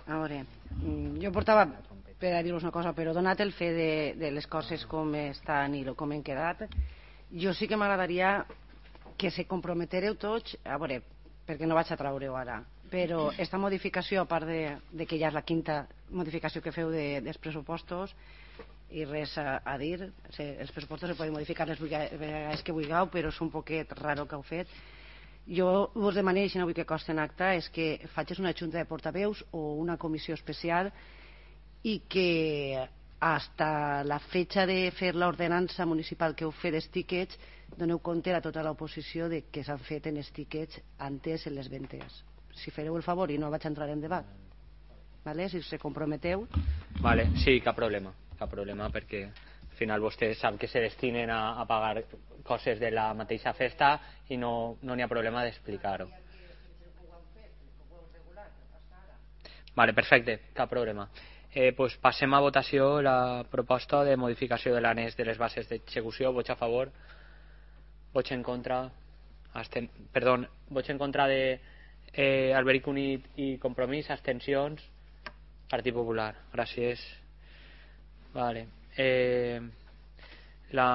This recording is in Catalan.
A veure, jo portava per a dir-vos una cosa, però donat el fet de les coses com estan i com han quedat, jo sí que m'agradaria que se comprometereu tots, a veure, perquè no vaig a treure-ho ara, però esta modificació, a part de que ja és la quinta modificació que feu dels pressupostos, i res a dir, els pressupostos se poden modificar les vegades que vulgueu, però és un poquet raro que heu fet. Jo us demano, si no vull que costi en acta, és que facis una junta de portaveus o una comissió especial i que hasta la fecha de fer l'ordenança municipal que heu fet dels tíquets doneu compte a tota l'oposició de que s'han fet en els tíquets antes en les ventes. Si fareu el favor i no vaig entrar en debat, vale? Si se comprometeu. Vale, sí, cap problema perquè al final vostès sap que se destinen a pagar coses de la mateixa festa i no n'hi ha problema d'explicar-ho. Vale, perfecte, cap problema. Pues passem a votació la proposta de modificació de l'annex de les bases d'execució. Vots a favor, vots en contra, vots en contra de Alberic Unit i Compromís, abstencions, Partit Popular. Gràcies. Vale. La